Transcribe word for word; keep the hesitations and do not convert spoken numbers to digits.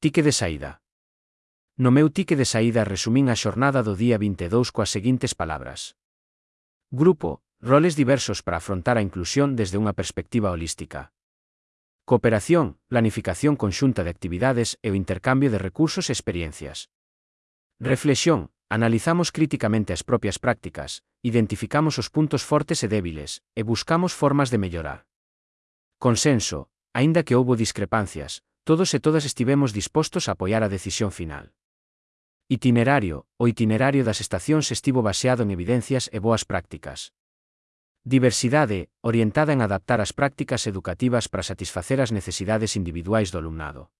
Tique de saída. No meu tique de saída resumín a xornada do día vinte e dous coas seguintes palabras. Grupo, roles diversos para afrontar a inclusión desde unha perspectiva holística. Cooperación, planificación conxunta de actividades e o intercambio de recursos e experiencias. Reflexión, analizamos críticamente as propias prácticas, identificamos os puntos fortes e débiles, e buscamos formas de mellorar. Consenso, aínda que houbo discrepancias, todos e todas estivemos dispostos a apoiar a decisión final. Itinerario, o itinerario das estacións estivo baseado en evidencias e boas prácticas. Diversidade, orientada en adaptar as prácticas educativas para satisfacer as necesidades individuais do alumnado.